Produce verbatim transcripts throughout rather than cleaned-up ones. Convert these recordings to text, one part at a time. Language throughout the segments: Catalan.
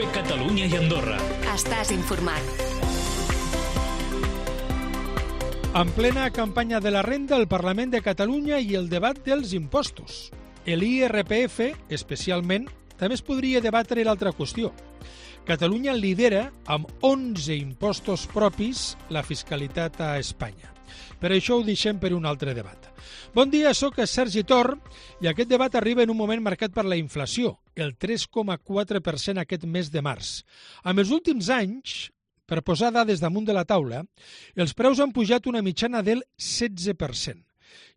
Cope Catalunya i Andorra. Estàs informat. En plena campanya de la renda, el Parlament de Catalunya i el debat dels impostos. L'I R P F, especialment, també es podria debatre l'altra qüestió. Catalunya lidera amb onze impostos propis la fiscalitat a Espanya. Per això ho deixem per un altre debat. Bon dia, sóc Sergi Tor i aquest debat arriba en un moment marcat per la inflació, el tres coma quatre per cent aquest mes de març. En els últims anys, per posar dades damunt de la taula, els preus han pujat una mitjana del setze per cent.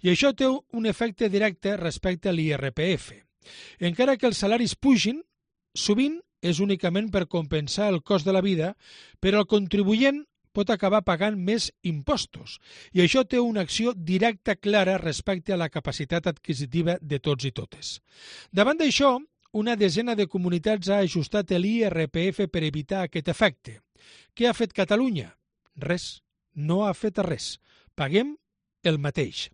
I això té un efecte directe respecte a l'I R P F. Encara que els salaris pugin, sovint és únicament per compensar el cost de la vida, però el contribuent pot acabar pagant més impostos. I això té una acció directa clara respecte a la capacitat adquisitiva de tots i totes. Davant d'això, una desena de comunitats ha ajustat l'I R P F per evitar aquest efecte. Què ha fet Catalunya? Res. No ha fet res. Paguem el mateix.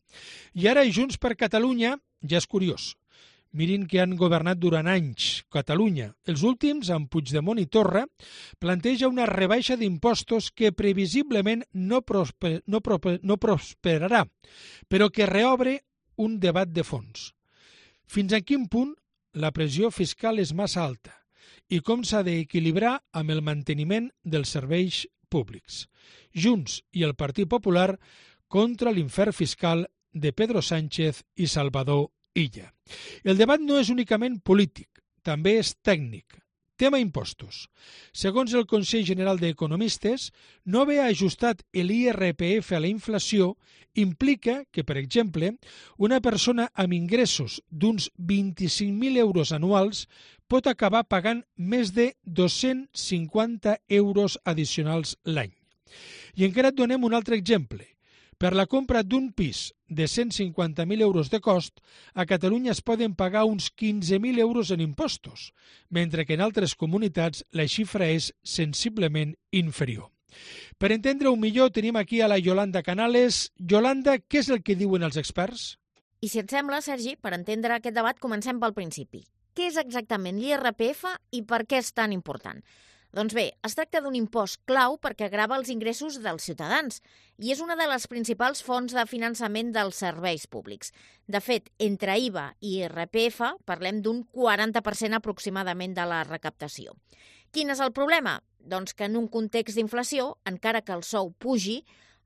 I ara Junts per Catalunya ja és curiós. Mirin que han governat durant anys Catalunya. Els últims, amb Puigdemont i Torra, planteja una rebaixa d'impostos que previsiblement no, prosper, no, prosper, no prosperarà, però que reobre un debat de fons. Fins a quin punt la pressió fiscal és massa alta i com s'ha d'equilibrar amb el manteniment dels serveis públics. Junts i el Partit Popular contra l'infern fiscal de Pedro Sánchez i Salvador Illa. El debat no és únicament polític, també és tècnic. Tema impostos. Segons el Consell General d'Economistes, no haver ajustat l'I R P F a la inflació implica que, per exemple, una persona amb ingressos d'uns vint-i-cinc mil euros anuals pot acabar pagant més de dos-cents cinquanta euros addicionals l'any. I encara et donem un altre exemple. Per la compra d'un pis de cent cinquanta mil euros de cost, a Catalunya es poden pagar uns quinze mil euros en impostos, mentre que en altres comunitats la xifra és sensiblement inferior. Per entendre-ho millor, tenim aquí a la Yolanda Canales. Yolanda, què és el que diuen els experts? I si et sembla, Sergi, per entendre aquest debat comencem pel principi. Què és exactament l'I R P F i per què és tan important? Doncs bé, es tracta d'un impost clau perquè grava els ingressos dels ciutadans i és una de les principals fonts de finançament dels serveis públics. De fet, entre I V A i I R P F parlem d'un quaranta per cent aproximadament de la recaptació. Quin és el problema? Doncs que en un context d'inflació, encara que el sou pugi,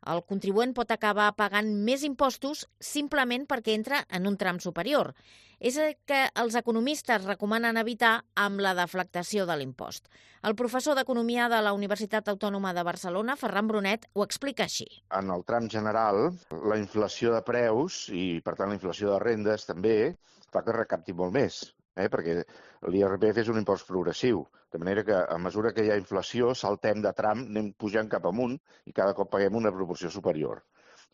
el contribuent pot acabar pagant més impostos simplement perquè entra en un tram superior. És el que els economistes recomanen evitar amb la deflactació de l'impost. El professor d'Economia de la Universitat Autònoma de Barcelona, Ferran Brunet, ho explica així. En el tram general, la inflació de preus i, per tant, la inflació de rendes també fa que recapti molt més, eh? perquè l'I R P F és un impost progressiu, de manera que a mesura que hi ha inflació saltem de tram, anem pujant cap amunt i cada cop paguem una proporció superior.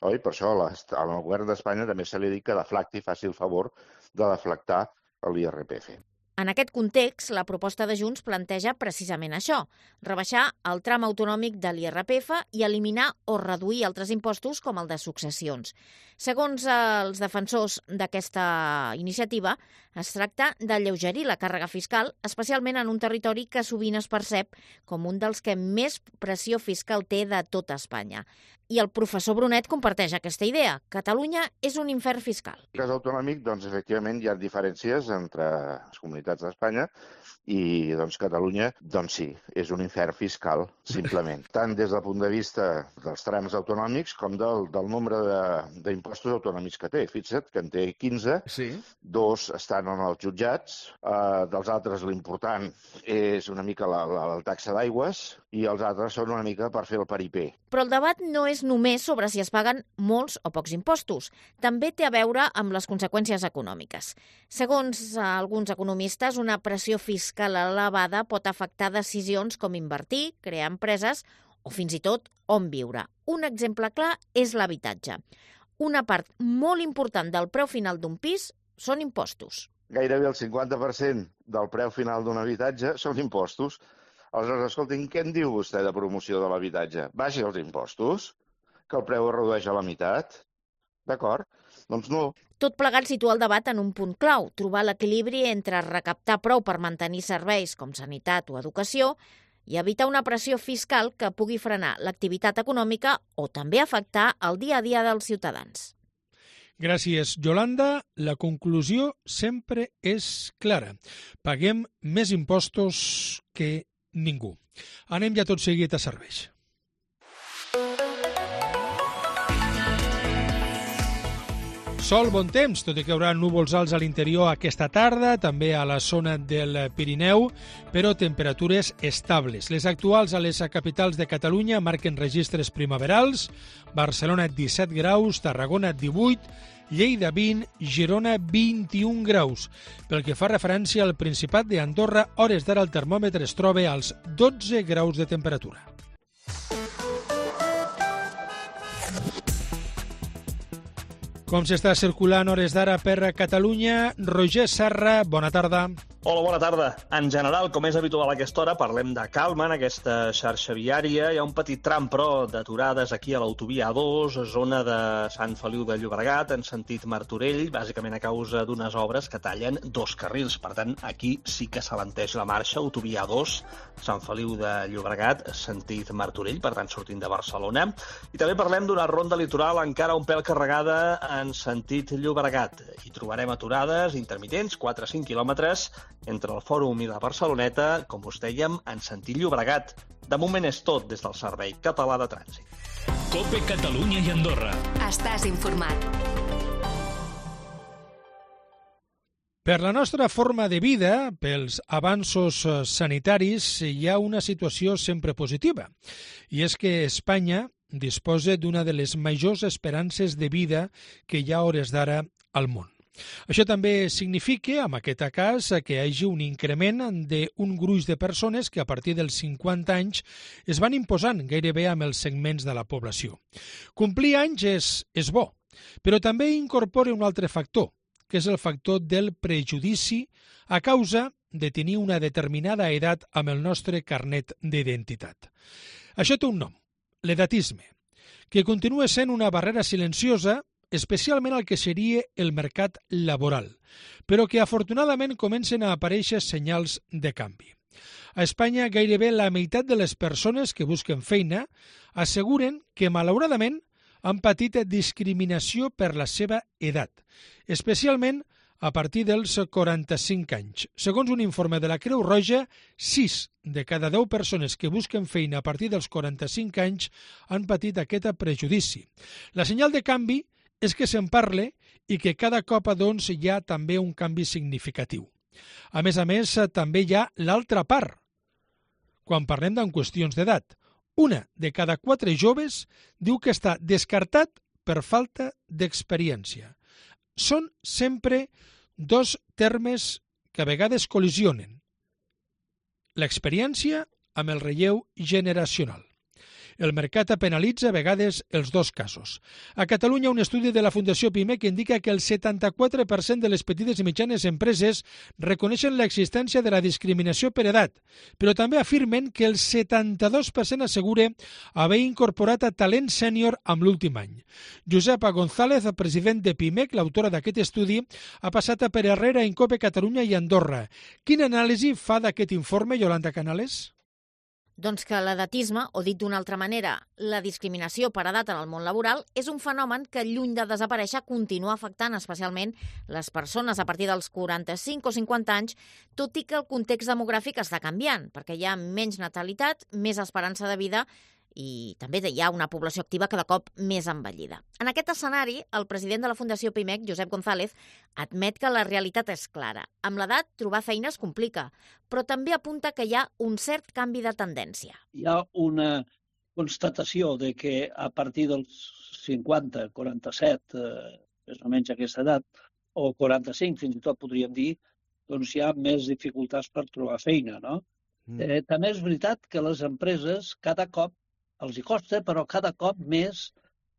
Oi? Per això al govern d'Espanya també se li ha dit que deflacti, faci el favor de deflactar l'I R P F. En aquest context, la proposta de Junts planteja precisament això, rebaixar el tram autonòmic de l'I R P F i eliminar o reduir altres impostos com el de successions. Segons els defensors d'aquesta iniciativa, es tracta d'alleugerir la càrrega fiscal, especialment en un territori que sovint es percep com un dels que més pressió fiscal té de tota Espanya. I el professor Brunet comparteix aquesta idea. Catalunya és un infern fiscal. En el cas autonòmic, doncs, efectivament, hi ha diferències entre les comunitats d'Espanya i doncs, Catalunya, doncs sí, és un infern fiscal, simplement. Tant des del punt de vista dels trams autonòmics com del, del nombre d'impostos autonòmics que té. Fixa't que en té quinze, sí. Dos estan en els jutjats, eh, dels altres l'important és una mica la, la, la taxa d'aigües i els altres són una mica per fer el paripé. Però el debat no és només sobre si es paguen molts o pocs impostos. També té a veure amb les conseqüències econòmiques. Segons alguns economistes, una pressió fiscal elevada pot afectar decisions com invertir, crear empreses o fins i tot on viure. Un exemple clar és l'habitatge. Una part molt important del preu final d'un pis són impostos. Gairebé el cinquanta per cent del preu final d'un habitatge són impostos. Aleshores, escoltin, què en diu vostè de promoció de l'habitatge? Baixi els impostos, que el preu es redueix a la meitat. D'acord? Doncs no. Tot plegat situa el debat en un punt clau, trobar l'equilibri entre recaptar prou per mantenir serveis com sanitat o educació i evitar una pressió fiscal que pugui frenar l'activitat econòmica o també afectar el dia a dia dels ciutadans. Gràcies, Yolanda. La conclusió sempre és clara. Paguem més impostos que ningú. Anem ja tot seguit a serveis. Sol, bon temps, tot i que hi haurà núvols alts a l'interior aquesta tarda, també a la zona del Pirineu, però temperatures estables. Les actuals a les capitals de Catalunya marquen registres primaverals, Barcelona disset graus, Tarragona divuit, Lleida vint, Girona vint-i-un graus. Pel que fa referència al Principat d'Andorra, hores d'ara el termòmetre es troba als dotze graus de temperatura. Com s'està circulant hores d'ara per Catalunya? Roger Serra, bona tarda. Hola, bona tarda. En general, com és habitual a aquesta hora, parlem de calma en aquesta xarxa viària. Hi ha un petit tram, però, d'aturades aquí a l'autovia A dos, zona de Sant Feliu de Llobregat, en sentit Martorell, bàsicament a causa d'unes obres que tallen dos carrils. Per tant, aquí sí que s'alenteix la marxa, autovia A dos, Sant Feliu de Llobregat, sentit Martorell, per tant, sortint de Barcelona. I també parlem d'una ronda litoral encara un pèl carregada en sentit Llobregat. Hi trobarem aturades intermitents, quatre a cinc quilòmetres, entre el Fòrum i la Barceloneta, com us dèiem, en sentit Llobregat. De moment és tot des del Servei Català de Trànsit. COPE Catalunya i Andorra. Estàs informat. Per la nostra forma de vida, pels avanços sanitaris, hi ha una situació sempre positiva. I és que Espanya disposa d'una de les majors esperances de vida que hi ha a hores d'ara al món. Això també significa, en aquest cas, que hi hagi un increment d'un gruix de persones que a partir dels cinquanta anys es van imposant gairebé amb els segments de la població. Complir anys és, és bo, però també incorpora un altre factor, que és el factor del prejudici a causa de tenir una determinada edat amb el nostre carnet d'identitat. Això té un nom, l'edatisme, que continua sent una barrera silenciosa, especialment al que seria el mercat laboral, però que afortunadament comencen a aparèixer senyals de canvi. A Espanya, gairebé la meitat de les persones que busquen feina asseguren que, malauradament, han patit discriminació per la seva edat, especialment a partir dels quaranta-cinc anys. Segons un informe de la Creu Roja, sis de cada deu persones que busquen feina a partir dels quaranta-cinc anys han patit aquest prejudici. La senyal de canvi és que se'n parle i que cada cop doncs, hi ha també un canvi significatiu. A més a més, també hi ha l'altra part. Quan parlem d'en qüestions d'edat, una de cada quatre joves diu que està descartat per falta d'experiència. Són sempre dos termes que a vegades col·lisionen. L'experiència amb el relleu generacional. El mercat penalitza a vegades els dos casos. A Catalunya, un estudi de la Fundació PIMEC indica que el setanta-quatre per cent de les petites i mitjanes empreses reconeixen l'existència de la discriminació per edat, però també afirmen que el setanta-dos per cent assegura haver incorporat a talent sènior amb l'últim any. Josepa González, president de PIMEC, l'autora d'aquest estudi, ha passat per Herrera en COPE Catalunya i Andorra. Quina anàlisi fa d'aquest informe, Yolanda Canales? Doncs que l'edatisme, o dit d'una altra manera, la discriminació per edat en el món laboral, és un fenomen que, lluny de desaparèixer, continua afectant especialment les persones a partir dels quaranta-cinc o cinquanta anys, tot i que el context demogràfic està canviant, perquè hi ha menys natalitat, més esperança de vida i també hi ha una població activa cada cop més envellida. En aquest escenari, el president de la Fundació PIMEC, Josep González, admet que la realitat és clara. Amb l'edat, trobar feina es complica, però també apunta que hi ha un cert canvi de tendència. Hi ha una constatació de que a partir dels cinquanta, quaranta-set, eh, més o menys aquesta edat, o quaranta-cinc, fins i tot podríem dir, doncs hi ha més dificultats per trobar feina, no? Mm. Eh, també és veritat que les empreses cada cop els hi costa, però cada cop més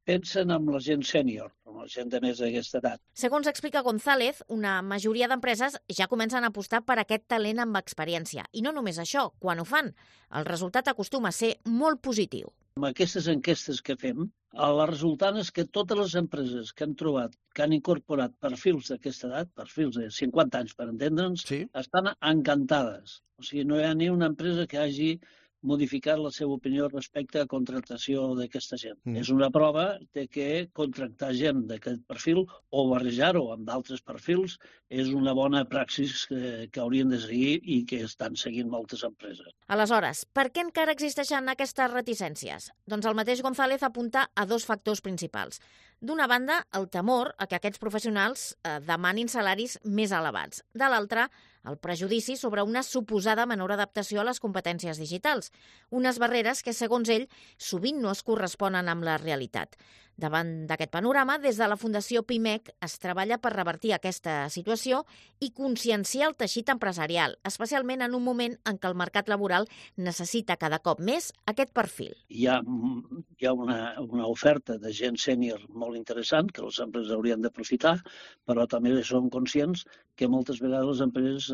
pensen en la gent sènior, en la gent de més d'aquesta edat. Segons explica González, una majoria d'empreses ja comencen a apostar per aquest talent amb experiència. I no només això, quan ho fan, el resultat acostuma a ser molt positiu. Amb aquestes enquestes que fem, la resultant és que totes les empreses que han trobat, que han incorporat perfils d'aquesta edat, perfils de cinquanta anys per entendre'ns, Sí. estan encantades. O sigui, no hi ha ni una empresa que hagi modificat la seva opinió respecte a contractació d'aquesta gent. Mm. És una prova de que contractar gent d'aquest perfil o barrejar-ho amb d'altres perfils és una bona praxis que, que haurien de seguir i que estan seguint moltes empreses. Aleshores, per què encara existeixen aquestes reticències? Doncs el mateix González apunta a dos factors principals. D'una banda, el temor a que aquests professionals eh, demanin salaris més elevats. De l'altra, el prejudici sobre una suposada menor adaptació a les competències digitals, unes barreres que, segons ell, sovint no es corresponen amb la realitat. Davant d'aquest panorama, des de la Fundació Pimec es treballa per revertir aquesta situació i conscienciar el teixit empresarial, especialment en un moment en què el mercat laboral necessita cada cop més aquest perfil. Hi ha, hi ha una, una oferta de gent sènior molt interessant que les empreses haurien d'aprofitar, però també som conscients que moltes vegades les empreses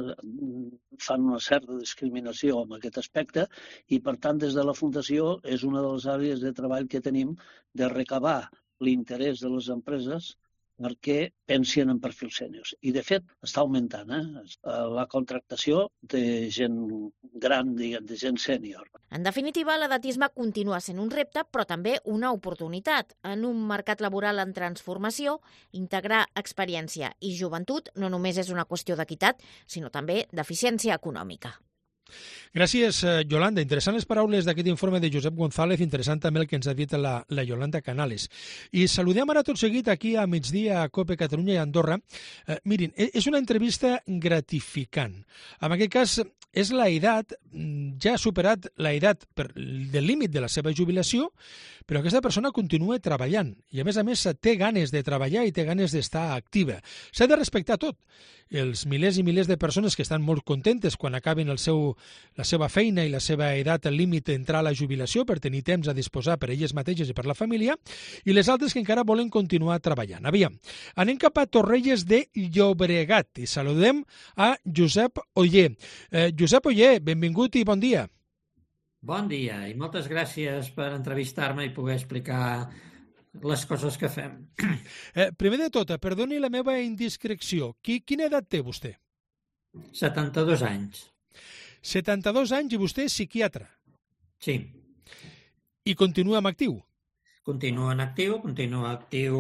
fan una certa discriminació en aquest aspecte i, per tant, des de la Fundació és una de les àrees de treball que tenim de recabar l'interès de les empreses perquè pensin en perfils sèniors. I, de fet, està augmentant eh? la contractació de gent gran, diguem, de gent sènior. En definitiva, l'edatisme continua sent un repte, però també una oportunitat. En un mercat laboral en transformació, integrar experiència i joventut no només és una qüestió d'equitat, sinó també d'eficiència econòmica. Gràcies, Yolanda. Interessant les paraules d'aquest informe de Josep González, interessant també el que ens ha dit la, la Yolanda Canales. I saludem ara tot seguit aquí a migdia a COPE Catalunya i Andorra. Eh, mirin, és una entrevista gratificant. En aquest cas, és la edat, ja ha superat la edat per, del límit de la seva jubilació, però aquesta persona continua treballant i, a més a més, té ganes de treballar i té ganes d'estar activa. S'ha de respectar tot. Els milers i milers de persones que estan molt contentes quan acaben el seu, la seva feina i la seva edat al límit d'entrar a la jubilació per tenir temps a disposar per elles mateixes i per la família, i les altres que encara volen continuar treballant. Aviam, anem cap a Torrelles de Llobregat i saludem a Josep Oller. Eh, Josep Oller, benvingut i bon dia. Bon dia i moltes gràcies per entrevistar-me i poder explicar les coses que fem. Eh, primer de tot, perdoni la meva indiscreció. Qui, quina edat té vostè? setanta-dos anys. setanta-dos anys i vostè és psiquiatre. Sí. I continua en actiu? Continuo en actiu, continuo actiu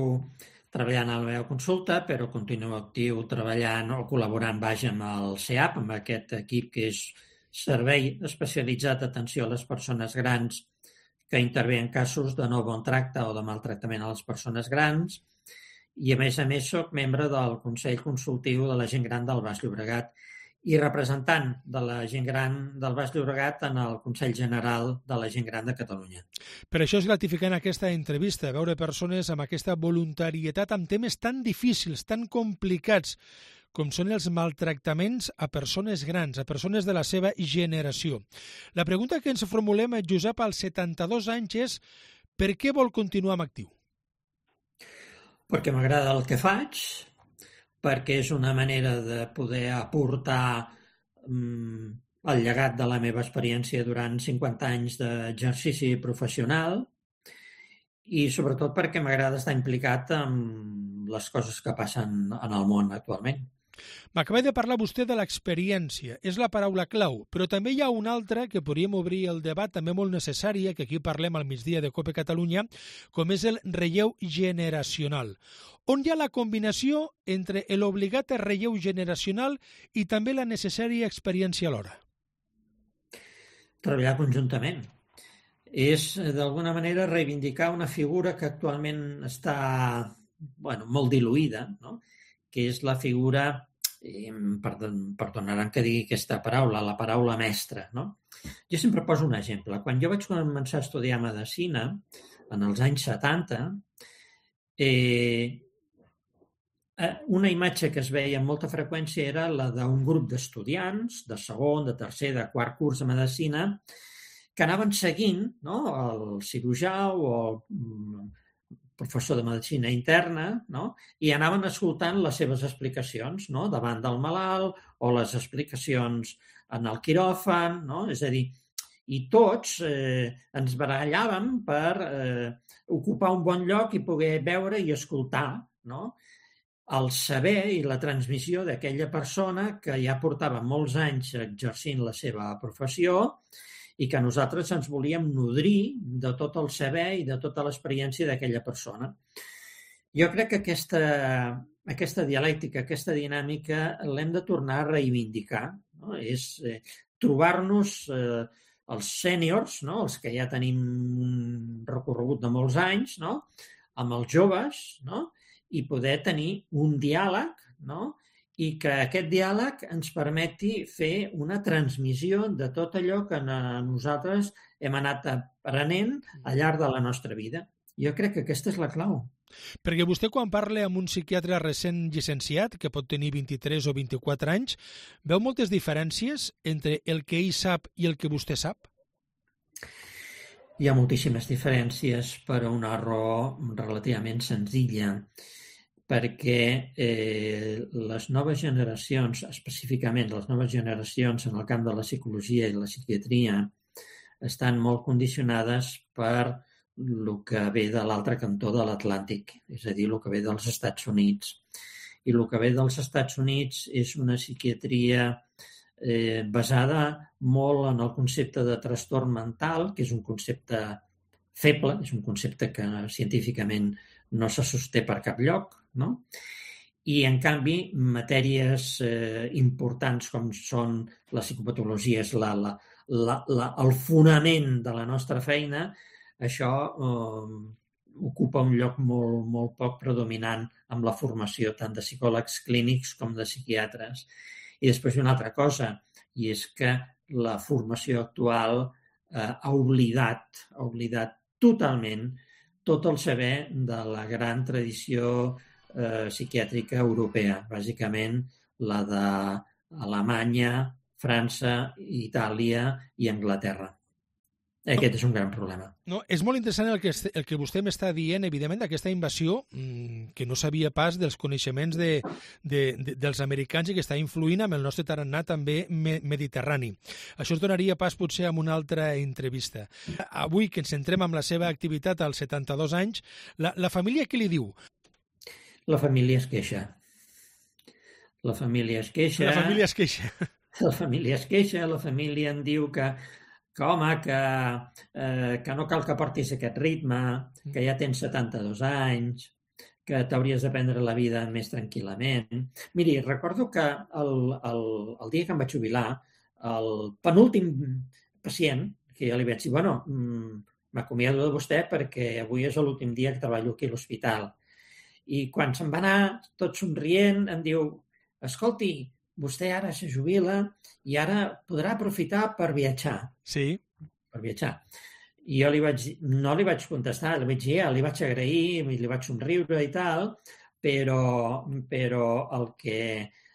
treballant a la meva consulta, però continuo actiu treballant o col·laborant baix amb el C E A P, amb aquest equip que és Servei Especialitzat d'Atenció a les Persones Grans que intervé en casos de no bon tracte o de maltractament a les persones grans i, a més a més, soc membre del Consell Consultiu de la Gent Gran del Baix Llobregat i representant de la gent gran del Baix Llobregat en el Consell General de la Gent Gran de Catalunya. Per això és gratificant aquesta entrevista, veure persones amb aquesta voluntarietat amb temes tan difícils, tan complicats, com són els maltractaments a persones grans, a persones de la seva generació. La pregunta que ens formulem, Josep, als setanta-dos anys és per què vol continuar en actiu? Perquè m'agrada el que faig, perquè és una manera de poder aportar mm, el llegat de la meva experiència durant cinquanta anys d'exercici professional i sobretot perquè m'agrada estar implicat en les coses que passen en el món actualment. M'acaba de parlar vostè de l'experiència, és la paraula clau, però també hi ha una altra que podríem obrir el debat, també molt necessària, que aquí parlem al migdia de COPE Catalunya, com és el relleu generacional. On hi ha la combinació entre l'obligat relleu generacional i també la necessària experiència alhora? Treballar conjuntament. És, d'alguna manera, reivindicar una figura que actualment està bueno, molt diluïda, no? Que és la figura, eh, perdonaran que digui aquesta paraula, la paraula mestra. No? Jo sempre poso un exemple. Quan jo vaig començar a estudiar medicina, en els anys setanta, eh, una imatge que es veia amb molta freqüència era la d'un grup d'estudiants, de segon, de tercer, de quart curs de medicina, que anaven seguint, no?, el cirurgià o el professor de medicina interna, no?, i anaven escoltant les seves explicacions, no?, davant del malalt o les explicacions en el quiròfan, no? És a dir, i tots eh, ens barallàvem per eh, ocupar un bon lloc i poder veure i escoltar, no?, el saber i la transmissió d'aquella persona que ja portava molts anys exercint la seva professió i que nosaltres ens volíem nodrir de tot el saber i de tota l'experiència d'aquella persona. Jo crec que aquesta, aquesta dialèctica, aquesta dinàmica, l'hem de tornar a reivindicar, no? És eh, trobar-nos eh, els sèniors, no?, els que ja tenim un recorregut de molts anys, no?, amb els joves, no?, i poder tenir un diàleg, no?, i que aquest diàleg ens permeti fer una transmissió de tot allò que nosaltres hem anat aprenent al llarg de la nostra vida. Jo crec que aquesta és la clau. Perquè vostè, quan parla amb un psiquiatre recent llicenciat, que pot tenir vint-i-tres o vint-i-quatre anys, veu moltes diferències entre el que ell sap i el que vostè sap? Hi ha moltíssimes diferències per una raó relativament senzilla, perquè eh, les noves generacions, específicament les noves generacions en el camp de la psicologia i la psiquiatria, estan molt condicionades per el que ve de l'altre cantó de l'Atlàntic, és a dir, el que ve dels Estats Units. I el que ve dels Estats Units és una psiquiatria eh, basada molt en el concepte de trastorn mental, que és un concepte feble, és un concepte que científicament no se sosté per cap lloc, no? I, en canvi, matèries eh, importants com són la psicopatologia, és la, la, la, la, el fonament de la nostra feina, això eh, ocupa un lloc molt, molt poc predominant amb la formació tant de psicòlegs clínics com de psiquiatres. I després una altra cosa, i és que la formació actual eh, ha oblidat, ha oblidat totalment tot el saber de la gran tradició eh, psiquiàtrica europea, bàsicament la d'Alemanya, França, Itàlia i Anglaterra. Aquest és un gran problema. No, és molt interessant el que, el que vostè m'està dient, evidentment, d'aquesta invasió mmm, que no sabia pas dels coneixements de, de, de, dels americans i que està influint amb el nostre tarannà també me, mediterrani. Això es donaria pas potser amb una altra entrevista. Avui, que ens centrem en la seva activitat als setanta-dos anys, la, la família què li diu? La família es queixa. La família es queixa. La família es queixa. La família es queixa, la família em diu que que, home, que, eh, que no cal que portis aquest ritme, que ja tens setanta-dos anys, que t'hauries de prendre la vida més tranquil·lament. Miri, recordo que el, el, el dia que em vaig jubilar, el penúltim pacient, que ja li vaig dir, bueno, m'acomiado de vostè perquè avui és l'últim dia que treballo aquí a l'hospital. I quan se'n va anar, tot somrient, em diu, escolti, vostè ara se jubila i ara podrà aprofitar per viatjar. Sí. Per viatjar. I jo li vaig, no li vaig contestar, li vaig dir, ja, li vaig agrair, li vaig somriure i tal, però, però el, que,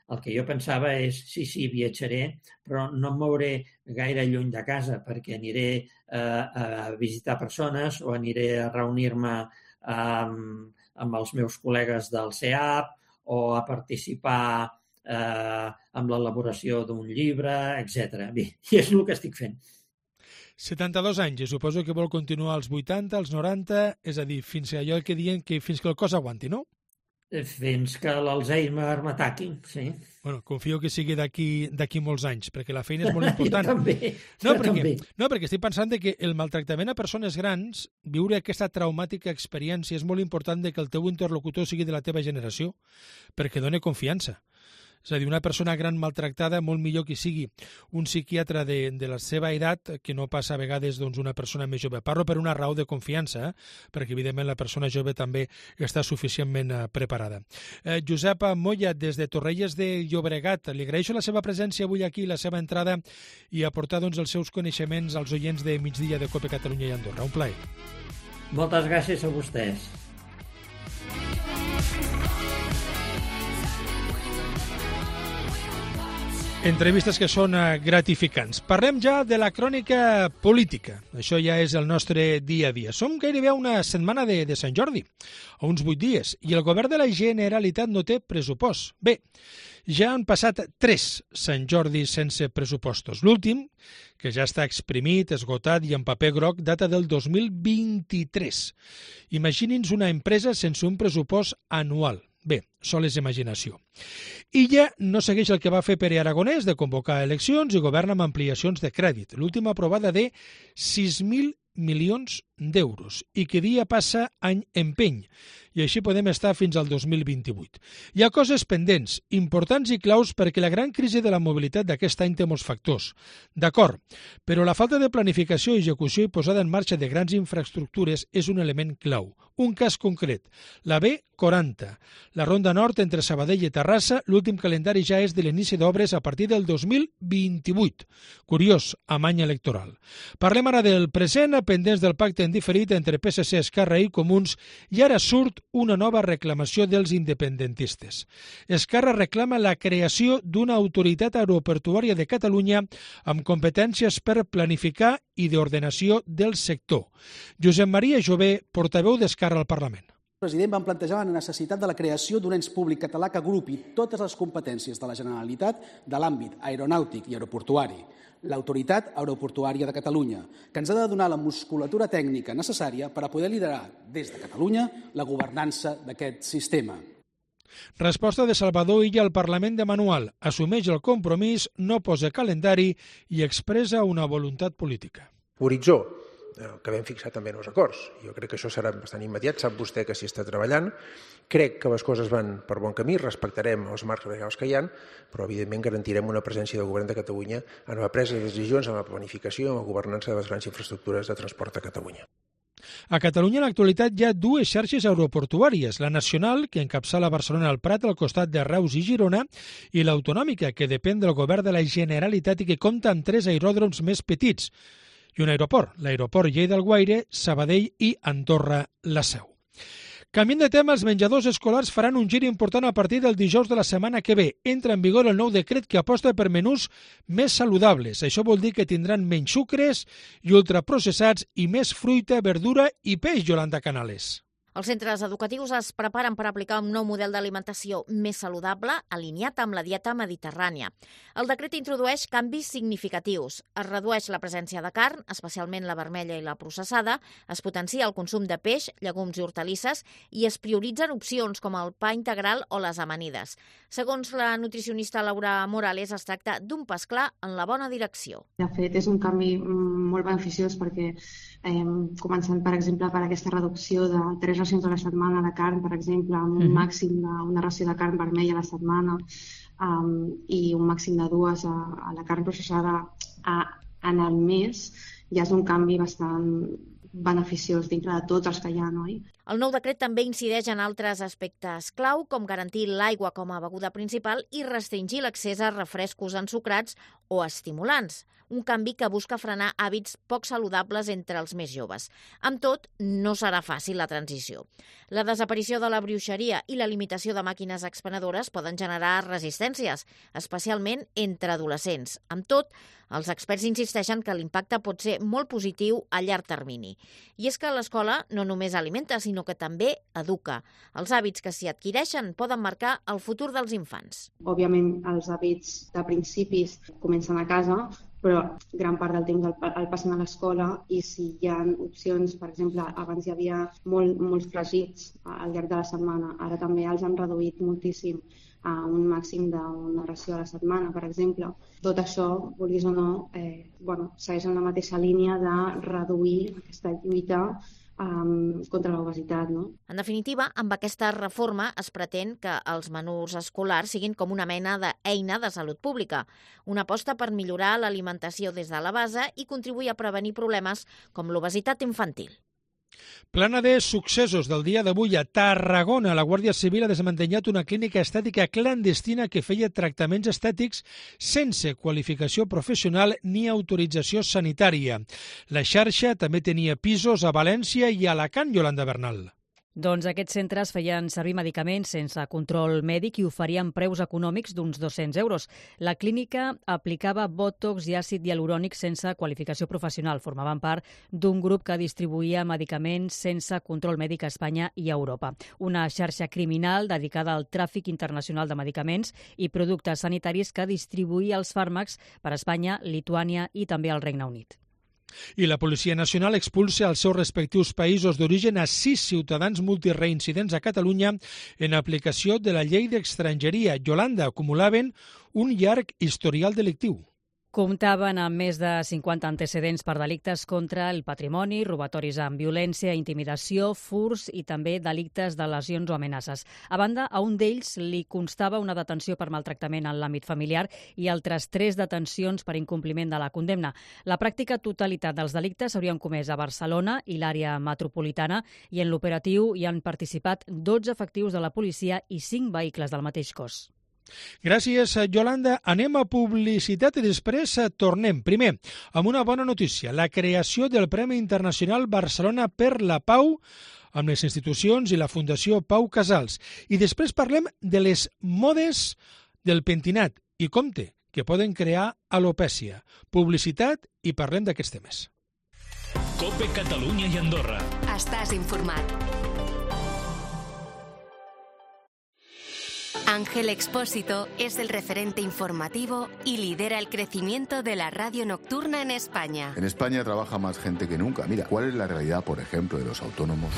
el que jo pensava és, sí, sí, viatjaré, però no em mouré gaire lluny de casa perquè aniré a, a visitar persones o aniré a reunir-me amb, amb els meus col·legues del C E A P o a participar Eh, amb l'elaboració d'un llibre, etcètera. Bé, i és el que estic fent. setanta-dos anys, i suposo que vol continuar als vuitanta, als noranta, és a dir, fins a allò que diuen que fins que el cos aguanti, no? Fins que l'Alzheimer m'ataqui, sí. Bueno, confio que sigui d'aquí d'aquí molts anys, perquè la feina és molt important. Jo també, no, jo perquè, també. No, perquè estic pensant que el maltractament a persones grans, viure aquesta traumàtica experiència, és molt important que el teu interlocutor sigui de la teva generació, perquè dona confiança. És a dir, una persona gran maltractada, molt millor que sigui un psiquiatre de, de la seva edat que no passa a vegades doncs, una persona més jove. Parlo per una raó de confiança, eh? Perquè evidentment la persona jove també està suficientment eh, preparada. Eh, Josep Moya, des de Torrelles de Llobregat, li agraeixo la seva presència avui aquí, la seva entrada i aportar doncs, els seus coneixements als oients de Migdia de COPE Catalunya i Andorra. Un plaer. Moltes gràcies a vostès. Entrevistes que són gratificants. Parlem ja de la crònica política. Això ja és el nostre dia a dia. Som gairebé a una setmana de, de Sant Jordi, a uns vuit dies, i el govern de la Generalitat no té pressupost. Bé, Ja han passat tres Sant Jordi sense pressupostos. L'últim, que ja està exprimit, esgotat i en paper groc, data del dos mil vint-i-tres. Imagini'ns una empresa sense un pressupost anual. Bé, sol és imaginació. Illa no segueix el que va fer Pere Aragonès de convocar eleccions i governa amb ampliacions de crèdit. L'última aprovada de sis mil milions d'euros i que dia passa any empeny i així podem estar fins al dos mil vint-i-vuit. Hi ha coses pendents, importants i claus perquè la gran crisi de la mobilitat d'aquest any té molts factors. D'acord, però la falta de planificació, execució i posada en marxa de grans infraestructures és un element clau. Un cas concret, la B quaranta, la Ronda Nord entre Sabadell i Terrassa, l'últim calendari ja és de l'inici d'obres a partir del dos mil vint-i-vuit. Curiós, amb any electoral. Parlem ara del present, pendents del pacte en diferit entre P S C, Esquerra i Comuns, i ara surt una nova reclamació dels independentistes. Esquerra reclama la creació d'una autoritat aeroportuària de Catalunya amb competències per planificar i d'ordenació del sector. Josep Maria Jové, portaveu d'Esquerra al Parlament. El president va plantejar la necessitat de la creació d'un ens públic català que agrupi totes les competències de la Generalitat de l'àmbit aeronàutic i aeroportuari, l'Autoritat Aeroportuària de Catalunya, que ens ha de donar la musculatura tècnica necessària per a poder liderar des de Catalunya la governança d'aquest sistema. Resposta de Salvador Illa al Parlament de Manual. Assumeix el compromís, no posa calendari i expressa una voluntat política. Horitzó, que vam fixar també en els acords. Jo crec que això serà bastant immediat, sap vostè que s'hi està treballant. Crec que les coses van per bon camí, respectarem els marcs legals que hi ha, però evidentment garantirem una presència del Govern de Catalunya en la presa de decisions, en la planificació, en la governança de les grans infraestructures de transport a Catalunya. A Catalunya en l'actualitat hi ha dues xarxes aeroportuàries, la nacional, que encapçala Barcelona al Prat al costat de Reus i Girona, i l'autonòmica, que depèn del govern de la Generalitat i que compta amb tres aeròdroms més petits, i un aeroport, l'aeroport Lleida-Alguaire, Sabadell i Andorra-La Seu. Canviant de tema, els menjadors escolars faran un gir important a partir del dijous de la setmana que ve. Entra en vigor el nou decret que aposta per menús més saludables. Això vol dir que tindran menys sucres i ultraprocessats i més fruita, verdura i peix, Yolanda Canales. Els centres educatius es preparen per aplicar un nou model d'alimentació més saludable, alineat amb la dieta mediterrània. El decret introdueix canvis significatius. Es redueix la presència de carn, especialment la vermella i la processada, es potencia el consum de peix, llegums i hortalisses i es prioritzen opcions com el pa integral o les amanides. Segons la nutricionista Laura Morales, es tracta d'un pas clar en la bona direcció. De fet, és un canvi molt beneficiós perquè eh, començant, per exemple, per aquesta reducció de tres racions a la setmana de carn, per exemple, amb un màxim d'una ració de carn vermella a la setmana um, i un màxim de dues a, a la carn processada a, en el mes, ja és un canvi bastant beneficiós dintre de tots els que hi ha, oi? El nou decret també incideix en altres aspectes clau, com garantir l'aigua com a beguda principal i restringir l'accés a refrescos ensucrats o estimulants. Un canvi que busca frenar hàbits poc saludables entre els més joves. Amb tot, no serà fàcil la transició. La desaparició de la bruixeria i la limitació de màquines expenedores poden generar resistències, especialment entre adolescents. Amb tot, els experts insisteixen que l'impacte pot ser molt positiu a llarg termini. I és que l'escola no només alimenta, sinó que també educa. Els hàbits que s'hi adquireixen poden marcar el futur dels infants. Òbviament, els hàbits de principis comencen a casa, però gran part del temps el, el passen a l'escola i si hi ha opcions, per exemple, abans hi havia molt, molts fregits al llarg de la setmana, ara també els han reduït moltíssim a un màxim d'una ració a la setmana, per exemple. Tot això, vulguis o no, eh, bueno, segueix en la mateixa línia de reduir aquesta lluita Um, contra l'obesitat, no? En definitiva, amb aquesta reforma es pretén que els menús escolars siguin com una mena d'eina de salut pública, una aposta per millorar l'alimentació des de la base i contribuir a prevenir problemes com l'obesitat infantil. Plana de successos del dia d'avui a Tarragona. La Guàrdia Civil ha desmantellat una clínica estètica clandestina que feia tractaments estètics sense qualificació professional ni autorització sanitària. La xarxa també tenia pisos a València i a Alacant, Yolanda Bernal. Doncs aquests centres feien servir medicaments sense control mèdic i oferien preus econòmics d'uns dos-cents euros. La clínica aplicava bòtox i àcid hialurònic sense qualificació professional. Formaven part d'un grup que distribuïa medicaments sense control mèdic a Espanya i a Europa. Una xarxa criminal dedicada al tràfic internacional de medicaments i productes sanitaris que distribuïa els fàrmacs per a Espanya, Lituània i també al Regne Unit. I la Policia Nacional expulsa als seus respectius països d'origen a sis ciutadans multireincidents a Catalunya en aplicació de la llei d'estrangeria. Yolanda, acumulaven un llarg historial delictiu. Comptaven amb més de cinquanta antecedents per delictes contra el patrimoni, robatoris amb violència, intimidació, furs i també delictes de lesions o amenaces. A banda, a un d'ells li constava una detenció per maltractament en l'àmbit familiar i altres tres detencions per incompliment de la condemna. La pràctica totalitat dels delictes s'haurien comès a Barcelona i l'àrea metropolitana i en l'operatiu hi han participat dotze efectius de la policia i cinc vehicles del mateix cos. Gràcies, Yolanda. Anem a publicitat i després tornem. Primer, amb una bona notícia, la creació del Premi Internacional Barcelona per la Pau amb les institucions i la Fundació Pau Casals. I després parlem de les modes del pentinat i compte que poden crear alopècia. Publicitat i parlem d'aquests temes. COPE Catalunya i Andorra. Estàs informat. Ángel Expósito es el referente informativo y lidera el crecimiento de la radio nocturna en España. En España trabaja más gente que nunca. Mira, ¿cuál es la realidad, por ejemplo, de los autónomos?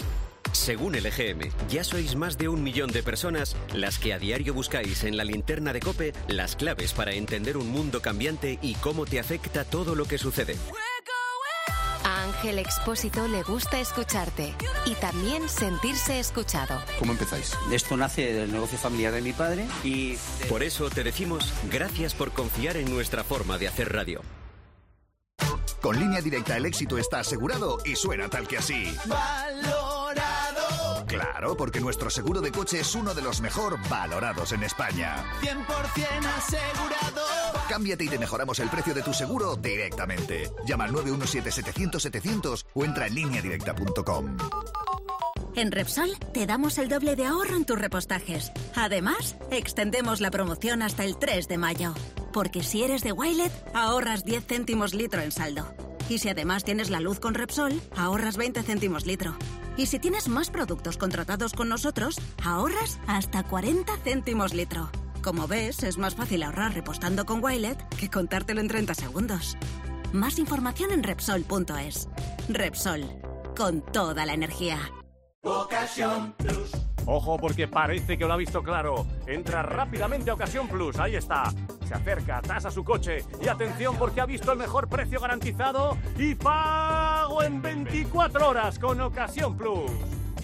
Según el E G M, ya sois más de un millón de personas las que a diario buscáis en la linterna de COPE las claves para entender un mundo cambiante y cómo te afecta todo lo que sucede. A Ángel Expósito le gusta escucharte y también sentirse escuchado. ¿Cómo empezáis? Esto nace del negocio familiar de mi padre y... Por eso te decimos gracias por confiar en nuestra forma de hacer radio. Con Línea Directa el éxito está asegurado y suena tal que así. ¡Valorado! Claro, porque nuestro seguro de coche es uno de los mejor valorados en España. cien por cien asegurado. Cámbiate y te mejoramos el precio de tu seguro directamente. Llama al nueve uno siete setecientos setecientos o entra en línea directa punto com. En Repsol te damos el doble de ahorro en tus repostajes. Además, extendemos la promoción hasta el tres de mayo. Porque si eres de Wilet, ahorras diez céntimos litro en saldo. Y si además tienes la luz con Repsol, ahorras veinte céntimos litro. Y si tienes más productos contratados con nosotros, ahorras hasta cuarenta céntimos litro. Como ves, es más fácil ahorrar repostando con Wilet que contártelo en treinta segundos. Más información en Repsol punto es. Repsol, con toda la energía. Ocasión Plus. Ojo, porque parece que lo ha visto claro. Entra rápidamente a Ocasión Plus, ahí está. Se acerca, tasa su coche y atención porque ha visto el mejor precio garantizado y pago en veinticuatro horas con Ocasión Plus.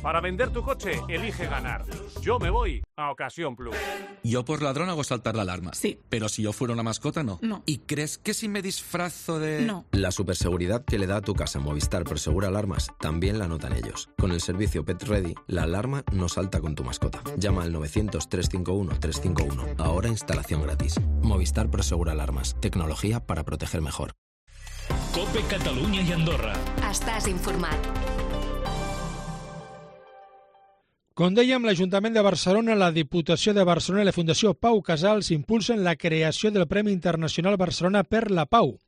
Para vender tu coche, elige ganar. Yo me voy a Ocasión Plus. Yo por ladrón hago saltar la alarma. Sí. Pero si yo fuera una mascota, no. No. ¿Y crees que si me disfrazo de...? No. La superseguridad que le da a tu casa Movistar Prosegura Alarmas también la notan ellos. Con el servicio Pet Ready, la alarma no salta con tu mascota. Llama al novecientos, trescientos cincuenta y uno, trescientos cincuenta y uno. Ahora instalación gratis. Movistar Prosegura Alarmas. Tecnología para proteger mejor. COPE Catalunya i Andorra. Estàs informat. Com dèiem, l'Ajuntament de Barcelona, la Diputació de Barcelona i la Fundació Pau Casals impulsen la creació del Premi Internacional Barcelona per la Pau,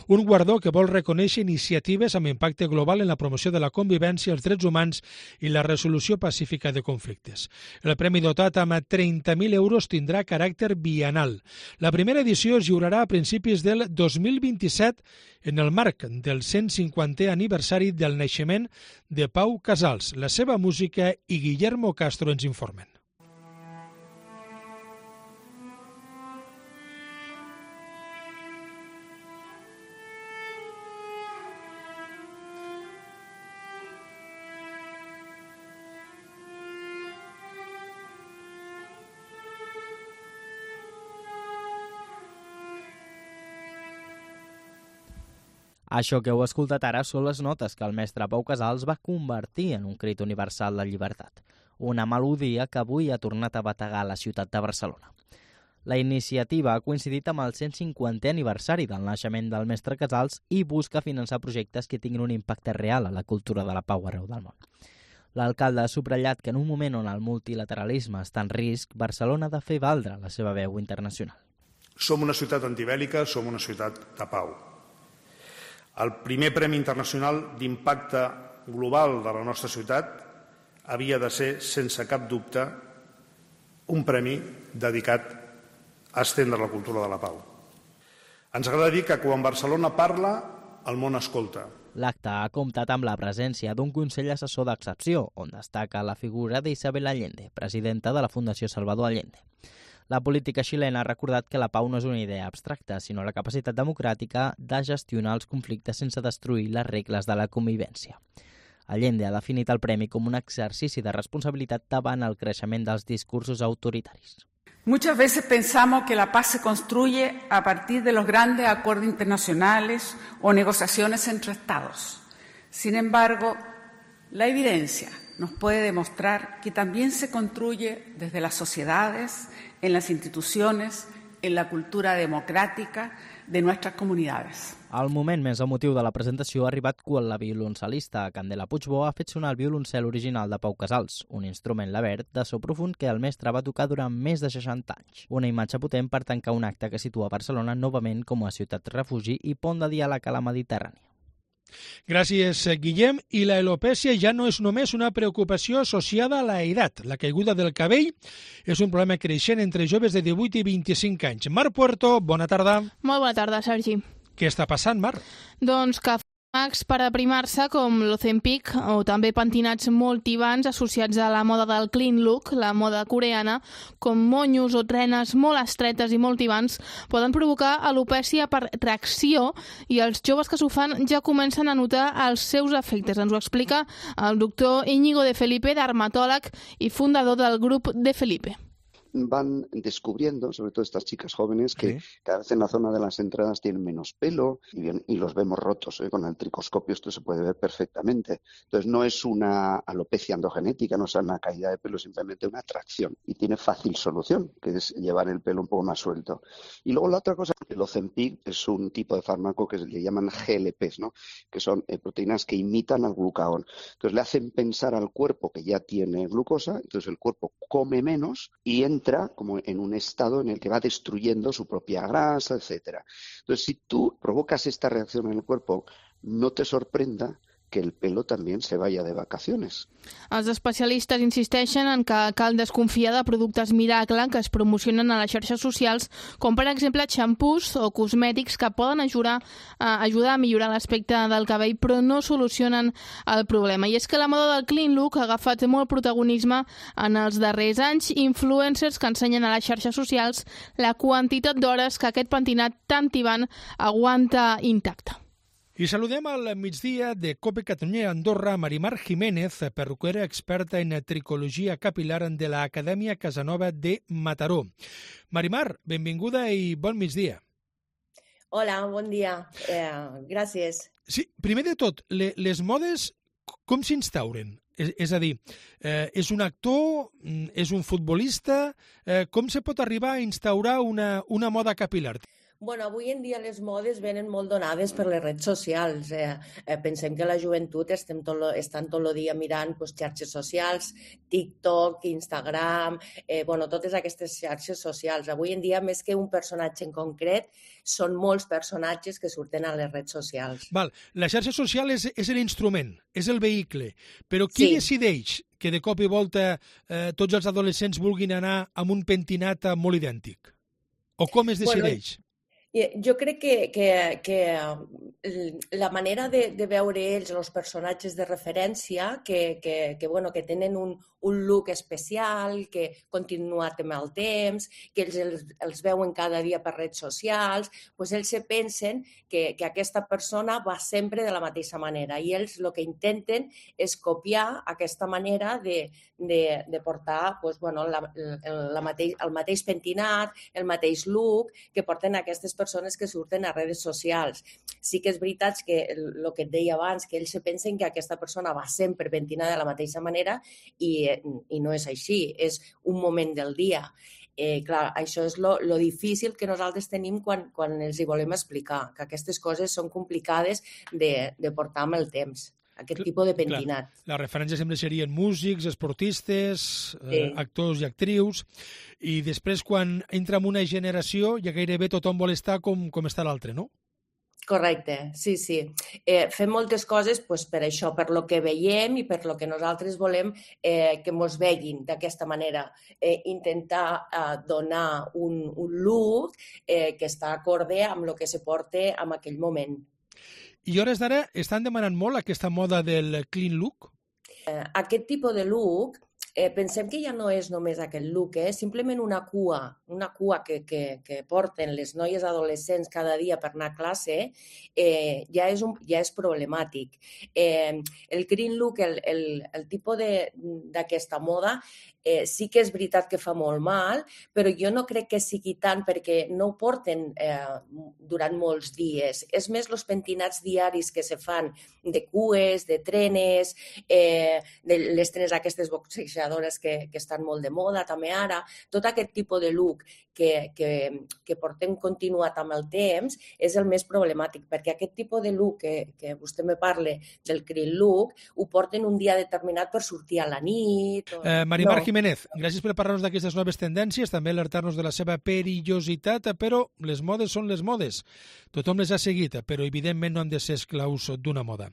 un guardó que vol reconèixer iniciatives amb impacte global en la promoció de la convivència, els drets humans i la resolució pacífica de conflictes. El premi dotat amb trenta mil euros tindrà caràcter bienal. La primera edició es lliurarà a principis del dos mil vint-i-set en el marc del cent cinquantè aniversari del naixement de Pau Casals. La seva música i Guillermo Castro ens informen. Això que heu escoltat ara són les notes que el mestre Pau Casals va convertir en un crit universal de llibertat, una melodia que avui ha tornat a bategar la ciutat de Barcelona. La iniciativa ha coincidit amb el cent cinquantè aniversari del naixement del mestre Casals i busca finançar projectes que tinguin un impacte real a la cultura de la pau arreu del món. L'alcalde ha subratllat que en un moment on el multilateralisme està en risc, Barcelona ha de fer valdre la seva veu internacional. Som una ciutat antibèl·lica, som una ciutat de pau. El primer Premi Internacional d'Impacte Global de la nostra ciutat havia de ser, sense cap dubte, un premi dedicat a estendre la cultura de la pau. Ens agrada dir que quan Barcelona parla, el món escolta. L'acte ha comptat amb la presència d'un Consell Assessor d'Excepció, on destaca la figura d'Isabel Allende, presidenta de la Fundació Salvador Allende. La política xilena ha recordat que la pau no és una idea abstracta, sinó la capacitat democràtica de gestionar els conflictes sense destruir les regles de la convivència. Allende ha definit el premi com un exercici de responsabilitat davant el creixement dels discursos autoritaris. Muchas veces pensamos que la paz se construye a partir de los grandes acuerdos internacionales o negociaciones entre Estados. Sin embargo, la evidencia nos puede demostrar que también se construye desde las sociedades, en las instituciones, en la cultura democràtica de nuestras comunidades. El moment més emotiu de la presentació ha arribat quan la violoncel·lista Candela Puigbo ha fet sonar el violoncel original de Pau Casals, un instrument labert de so profund que el mestre va tocar durant més de seixanta anys. Una imatge potent per tancar un acte que situa Barcelona novament com a ciutat refugi i pont de diàleg a la Mediterrània. Gràcies, Guillem. I la alopècia ja no és només una preocupació associada a la edat. La caiguda del cabell és un problema creixent entre joves de divuit i vint-i-cinc anys. Mar Puerto, bona tarda. Molt bona tarda, Sergi. Què està passant, Mar? Doncs que fàrmacs per aprimar-se com l'Ozempic o també pentinats molt tibants associats a la moda del clean look, la moda coreana, com monyos o trenes molt estretes i molt tibants, poden provocar alopècia per tracció i els joves que s'ho fan ja comencen a notar els seus efectes. Ens ho explica el doctor Íñigo de Felipe, dermatòleg i fundador del grup de Felipe. Van descubriendo, sobre todo estas chicas jóvenes, que ¿Sí? cada vez en la zona de las entradas tienen menos pelo y, bien, y los vemos rotos. ¿eh? Con el tricoscopio esto se puede ver perfectamente. Entonces no es una alopecia endogenética, no es una caída de pelo, simplemente una atracción. Y tiene fácil solución, que es llevar el pelo un poco más suelto. Y luego la otra cosa, el Ozempic es un tipo de fármaco que le llaman G L Ps, ¿no? Que son eh, proteínas que imitan al glucagón. Entonces le hacen pensar al cuerpo que ya tiene glucosa, entonces el cuerpo come menos y entra como en un estado en el que va destruyendo su propia grasa, etcétera. Entonces, si tú provocas esta reacción en el cuerpo, no te sorprenda que el pelo també se vaya de vacaciones. Els especialistes insisteixen en que cal desconfiar de productes miracle que es promocionen a les xarxes socials, com per exemple xampús o cosmètics que poden ajudar a, ajudar a millorar l'aspecte del cabell però no solucionen el problema. I és que la moda del clean look ha agafat molt protagonisme en els darrers anys. Influencers que ensenyen a les xarxes socials la quantitat d'hores que aquest pentinat tan tibant aguanta intacte. I saludem al migdia de COPE Catalunya Andorra Marimar Jiménez, perruquera experta en tricologia capilar de l'Acadèmia Casanova de Mataró. Marimar, benvinguda i bon migdia. Hola, bon dia. Eh, gràcies. Sí, primer de tot, le, les modes com s'instauren? És, és a dir, eh, és un actor, és un futbolista, eh, com se pot arribar a instaurar una, una moda capilar? Bueno, avui en dia les modes venen molt donades per les redes socials. Eh, eh, pensem que la joventut estem tot lo, estan tot el dia mirant pues, xarxes socials, TikTok, Instagram, eh, bueno, totes aquestes xarxes socials. Avui en dia, més que un personatge en concret, són molts personatges que surten a les redes socials. Val. La xarxa social és, és l'instrument, és el vehicle, però qui sí. decideix que de cop i volta eh, tots els adolescents vulguin anar amb un pentinat molt idèntic? O com es decideix? Bueno, jo crec que, que, que la manera de, de veure ells, els personatges de referència, que, que, que, bueno, que tenen un, un look especial, que continuat amb el temps, que ells els, els veuen cada dia per redes socials, doncs ells se pensen que, que aquesta persona va sempre de la mateixa manera i ells el que intenten és copiar aquesta manera de, de, de portar doncs, bueno, la, la mateix, el mateix pentinat, el mateix look que porten aquestes persones que surten a redes socials. Sí que és veritat que el que et deia abans, que ells se pensen que aquesta persona va sempre pentinada de la mateixa manera i, i no és així, és un moment del dia. Eh, clar, això és lo, lo difícil que nosaltres tenim quan, quan els hi volem explicar, que aquestes coses són complicades de, de portar amb el temps. aquest tipus de pentinat. Clar, la referència sempre serien músics, esportistes, sí. eh, actors i actrius, i després quan entra en una generació ja gairebé tothom vol estar com, com està l'altre, no? Correcte, sí, sí. Eh, fem moltes coses pues, per això, per lo que veiem i per lo que nosaltres volem eh, que mos veguin d'aquesta manera. Eh, intentar eh, donar un, un look eh, que està acorde amb el que se porta en aquell moment. I hores d'ara estan demanant molt aquesta moda del clean look? Eh, aquest tipus de look, eh, pensem que ja no és només aquest look, eh? Simplement una cua, una cua que, que, que porten les noies adolescents cada dia per anar a classe, eh, ja, és un, ja és problemàtic. Eh, el clean look, el, el, el tipus d'aquesta moda, eh, sí que és veritat que fa molt mal, però jo no crec que sigui tant perquè no ho porten eh, durant molts dies. És més els pentinats diaris que se fan de cues, de trenes, eh, de les trenes aquestes boxejadores que, que estan molt de moda també ara. Tot aquest tipus de look que, que, que portem continuat amb el temps és el més problemàtic, perquè aquest tipus de look que, que vostè me parla del clean look ho porten un dia determinat per sortir a la nit. O... Eh, Marimar no. Jiménez, gràcies per parlar-nos d'aquestes noves tendències, també alertar-nos de la seva perillositat, però les modes són les modes. Tothom les ha seguit, però evidentment no han de ser esclaus d'una moda.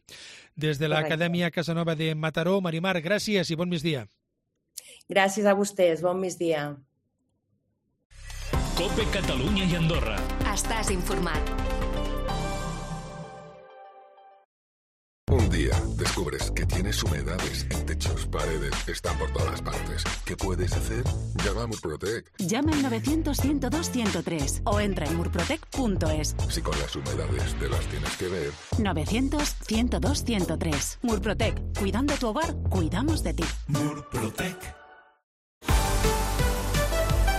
Des de l'Acadèmia Casanova de Mataró, Marimar, gràcies i bon migdia. Gràcies a vostès, bon migdia. COPE Catalunya i Andorra. Estàs informat. Un día descubres que tienes humedades en techos, paredes, están por todas partes. ¿Qué puedes hacer? Llama a Murprotec. Llama al novecientos, ciento dos, ciento tres o entra en murprotec punto es. Si con las humedades te las tienes que ver. novecientos, ciento dos, ciento tres. Murprotec. Cuidando tu hogar, cuidamos de ti. Murprotec.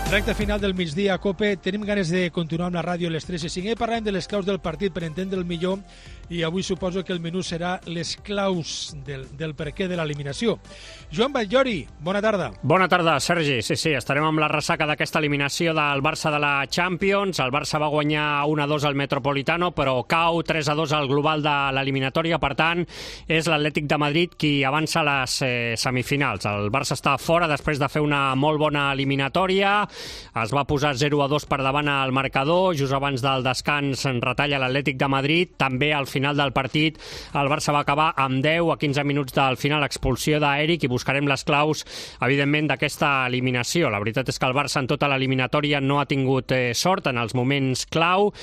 Recte final del migdia a COPE. Tenim ganes de continuar amb la ràdio a les tres i cinc. Parlem de les claus del partit per entendre el millor i avui suposo que el menú serà les claus del, del perquè de l'eliminació. Joan Batllori, bona tarda. Bona tarda, Sergi. Sí, sí, estarem amb la ressaca d'aquesta eliminació del Barça de la Champions. El Barça va guanyar un a dos al Metropolitano, però cau tres a dos al global de l'eliminatòria. Per tant, és l'Atlètic de Madrid qui avança a les eh, semifinals. El Barça està fora després de fer una molt bona eliminatòria. Es va posar zero a dos per davant al marcador, just abans del descans en retalla l'Atlètic de Madrid. També al final del partit el Barça va acabar amb deu a quinze minuts del final, expulsió d'Eric, i buscarem les claus, evidentment, d'aquesta eliminació. La veritat és que el Barça en tota l'eliminatòria no ha tingut eh, sort en els moments clau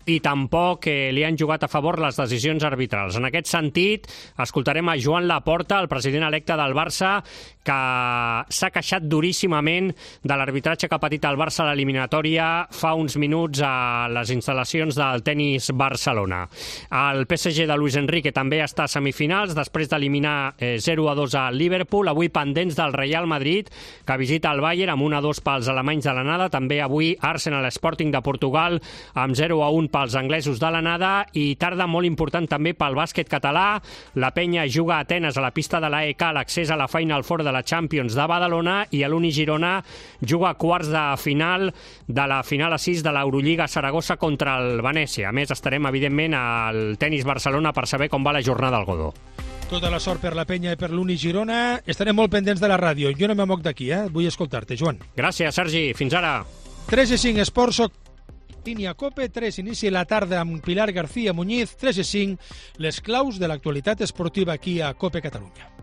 i tampoc eh, li han jugat a favor les decisions arbitrals. En aquest sentit, escoltarem a Joan Laporta, el president electe del Barça, que s'ha queixat duríssimament de l'arbitratge que ha patit el Barça a l'eliminatòria fa uns minuts a les instal·lacions del Tenis Barcelona. El P S G de Luis Enrique també està a semifinals després d'eliminar eh, zero a dos a Liverpool. Avui pendents del Real Madrid, que visita el Bayern amb un a dos pels alemanys de l'anada. També avui Arsenal Sporting de Portugal amb zero a un pels anglesos de l'anada. I tarda molt important també pel bàsquet català. La Penya juga a Atenes a la pista de l'A E K l'accés a la Final Four de la Champions de Badalona, i l'Uni Girona juga a quarts de final de la final a sis de l'Eurolliga Saragossa contra el Venècia. A més, estarem, evidentment, al Tenis Barcelona per saber com va la jornada al Godó. Tota la sort per la Penya i per l'Uni Girona. Estarem molt pendents de la ràdio. Jo no me moc d'aquí, eh? Vull escoltar-te, Joan. Gràcies, Sergi. Fins ara. tres i cinc Esports, soc Línia COPE. tres inici la tarda amb Pilar García Muñiz. tres i cinc, les claus de l'actualitat esportiva aquí a COPE Catalunya.